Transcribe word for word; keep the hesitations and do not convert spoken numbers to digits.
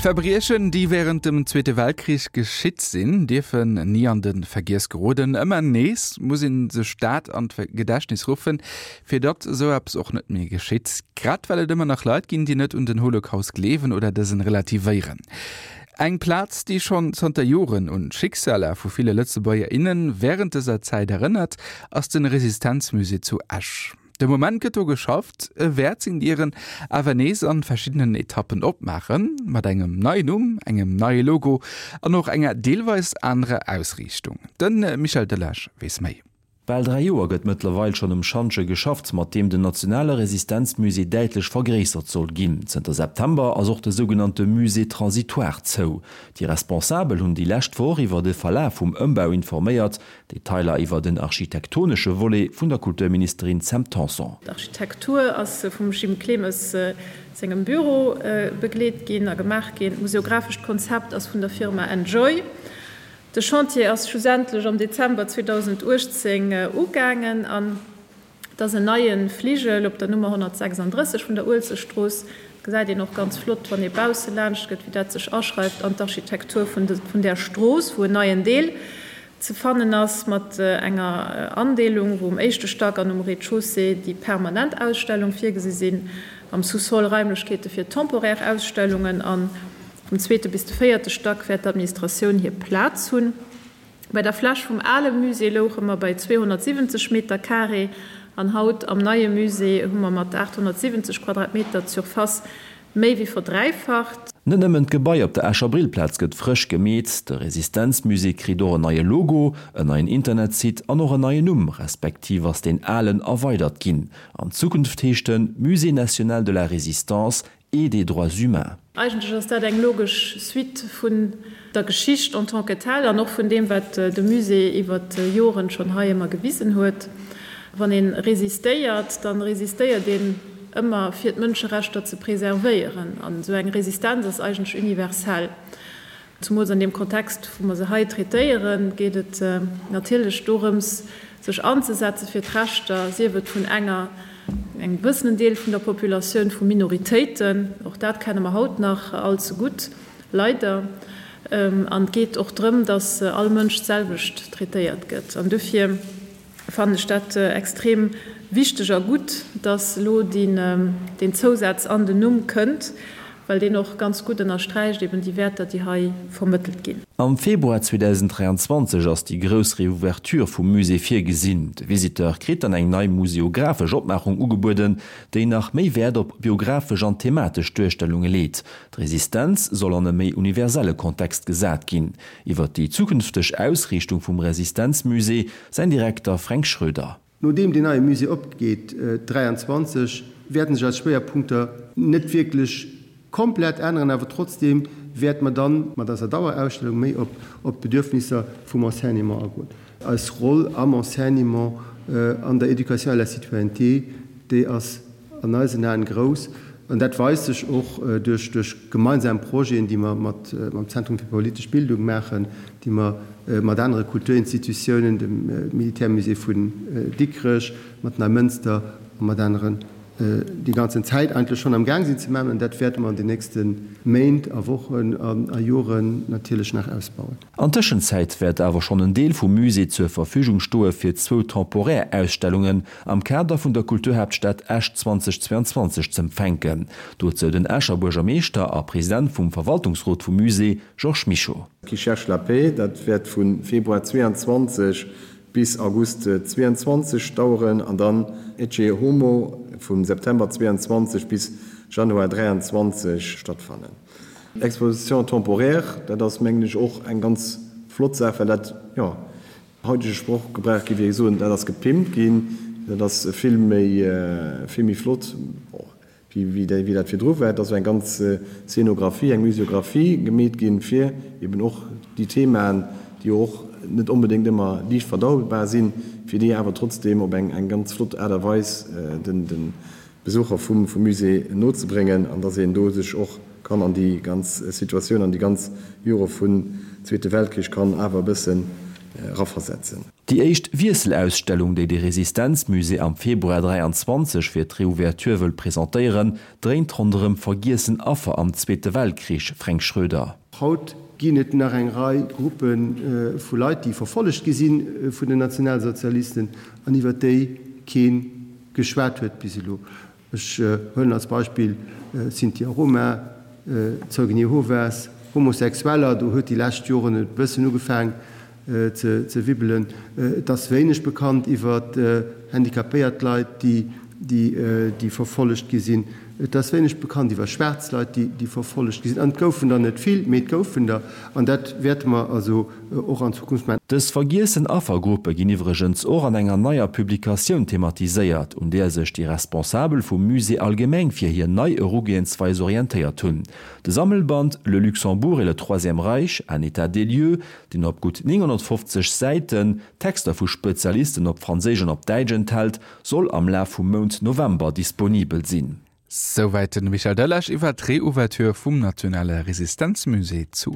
Verbriechen, déi wärend dem Zweete Weltkrich geschitt sinn, dierfen ni an de Vergiess geroden. Ëmmer nees muss ee sech dat an d'Gedächtnis ruffen, fir datt esou eppes och net méi geschitt. Grad well et ëmmer nach Leit ginn, déi net un den Holocaust gleewen oder dësen relativéieren. Eng Plaz, déi schonn zanter Joren un d'Schicksaler vu ville Lëtzebuerger, innen wärend dëser Zäit erënnert, ass de Resistenzmusée zu Esch. De Moment gëtt do geschafft, e wäert seng Dieren awer nees an verschiddenen Etappen opmaachen, mat engem neien Numm, engem neie Logo an och enger deelweis anerer Ausriichtung. De Michel Delage weess méi. Bal dräi Joer gëtt mëttlerweil schonn um Schantje geschafft, mat deem den nationale Resistenzmusée däitlech vergréissert soll ginn. Zënter September ass och de sougenannte Musée transitoire zou. Déi Responsabel hunn déi lescht Woch iwwer de Verlaf vum Ëmbau informéiert. Detailer iwwer den architektonesche Volet vun der Kulturministerin Sam Tanson. D'Architektur ass vum Jim Clemes sengem Büro begleet ginn a gemaach ginn. D'museographescht Konzept ass vun der Firma Enjoy. De Chantier ass schlussendlech am Dezember zweedausenduechtzéng ugaangen an et ass en neie Fligel op der Nummer honnertsechsanddrësseg vun der Uelzechtstrooss. Dat gesäit een och ganz flott, wann ee bausse laanscht gëtt, wéi dat sech aschreift an d'Architektur vun där Strooss, wou en neien Deel ze fannen ass mat enger Andeelung, wou um éischte Stack an um Rez-de-chaussée déi permanent Ausstellung virgesi sinn, am Sous-sol Raimlechkeete fir temporaire Ausstellungen an vum zweete bis de véierte Stack wäert d'Administratioun hir Plaz hunn. Bei der Fläch vum ale Musée louche mer bei zweehonnertsiwwenzeg Meter carré an haut am neie Musée hu mer mat aathonnertsiwwenzeg Quadratmeter d'Surface méi wéi verdräifacht. Net nëmmen d'Gebai op der Escher Brillplaz gëtt frësch gemeet, de Resistenzmusée kritt och en neie Logo, en neien Internetsite an och en neien Numm, respektiv ass deen alen erweidert ginn. An Zukunft heescht en Musée national de la Résistance et des droits humains. Eigentlech ass dat eng logesch Suite vun der Geschicht en tant que telle an och vun deem, wat de Musée iwwer d'Joren schonn hei ëmmer gewisen huet. Wann ee resistéiert, da resistéiert een ëmmer fir d'Mënscherechter ze preservéieren. An esou eng Resistenz ass eigentlech universell. Zumools an deem Kontext, wou mer se hei traitéieren, geet et natierlech dorëms, sech anzesetze fir d'Rechter, sief et vun enger, engem gewëssenen Deel vun der Populatioun, vu Minoritéiten, och dat kenne mer haut nach all ze gutt, leider. An et geet och drëm, datt all Mënsch d'selwecht traitéiert gëtt. An dofir fannen ech dat extrem wichteg a gutt, dass elo deen Zousaz an den Numm kënnt, well deen och ganz gutt ënnersträicht eben déi Wäerter, déi hei vermëttelt ginn. Am Februar zweedausenddräianzwanzeg ass déi grouss Reouverture vum Musée virgesinn. De Visiteur kritt dann eng nei museographesch Opmaachung ugebueden, déi nach méi Wäert op biographesch an thematesch Duerstellunge leet. D'Resistenz soll an e méi universelle Kontext gesat ginn. Iwwer déi zukünfteg Ausriichtung vum Resistenzmusée säin Direkter Fränk Schroeder. Nodeem deen neie Musée opgeet dräianzwanzeg, wäerten sech eis Schwéierpunkter net wierklech komplett änneren, awer trotzdeem wäerte mer dann mat eiser Dauerausstellung méi op op d'Bedürfnisser vum Enseignement agoen. Eis Roll am Enseignement, an der Éducation à la citoyenneté, déi ass an eisen Aen grouss. An dat weist sech och duerch duerch gemeinsam Projeten, déi mer mat mam Zentrum fir politesch Bildung maachen, déi mer mat anere Kulturinstitutiounen, dem Militärmusée vun Dikrech, mat Neimënster a mat aneren déi ganzen Zäit eigentlech schonn am Gaang sinn ze maachen. An dat wäerte mer an den nächste Méint a Wochen a Joren natierlech nach ausbauen. An Tëschenzäit wäert awer schonn en Deel vum Musée zur Verfügung stoe fir zwou temporär Ausstellungen am Kader vun der Kulturhaaptstad Esch zweedausendzweianzwanzeg z'empfänken. Dozou den Escher Buergermeeschter a President vum Verwaltungsrot vum Musée, Georges Mischo. Qui cherche la paix, dat wäert vu Februar zweianzwanzeg bis August zweianzwanzeg daueren an dann Ecce Homo vum September zweianzwanzeg bis Januar dräianzwanzeg stattfannen. Exposition temporaire, dat ass mengen ech och eng ganz flott Saach, well dat, jo, haitege Sprochgebrauch géif ech soen, dat ass gepimpt ginn, dat ass vill méi, vill méi flott, wéi wéi dat virdru war. Et ass eng ganz Szenographie, eng Museographie gemeet ginn, fir eben och déi Themaen, déi jo och net onbedéngt ëmmer liicht verdaubar sinn, fir déi awer trotzdeem op eng eng ganz flott Aart a Weis den de Besucher vum vum Musée nozebréngen an dass een do sech och kann an déi ganz Situatioun, an déi ganz Jore vun Zweete Weltkrich kann awer e bëssen eraversetzen. Déi éischt Wiesselausstellung, déi de Resistenzmusée am Februar dräianzwanzeg fir d'Reouverture wëll presentéieren, dréint ronderëm vergiessen Affer am Zweete Weltkrich, Fränk Schroeder. Haut ginn et nach eng Rei Gruppe vu Leit, déi verfollegt gi si vun den Nationalsozialisten an iwwer déi kee geschwat huet bis elo. Ech huelen als Beispill Sinti a Roma, Zeugen Jehovas, Homosexueller, do huet déi lescht Joren et e bëssen ugefaang ze wibbelen. Et ass wéineg bekannt iwwer handicapéiert Leit, déi verfollegt gi sinn. Et ass wéineg bekannt iwwer schwaarz Leit, déi verfollegt gi sinn. An et goufen der net vill, mee et goufen der. An dat wäerte mer also och an Zukunft maachen. Dës vergiessen Affergruppe ginn iwwregens och an enger neier Publikatioun thematiséiert, un där sech déi Responsabel vum Musée allgemeng fir hir nei Erugehensweis orientéiert hunn. De Sammelband Le Luxembourg et le Troisième Reich, un état des lieux, deen op gutt nénghonnertfofzeg Säiten Texter vu Spezialisten op Franséisch an op Däitsch enthält, soll am Laf vum Mount November disponibel sinn. Souwäit de Michel Delage iwwer d'Reouverture vum Nationale Resistenzmusée zu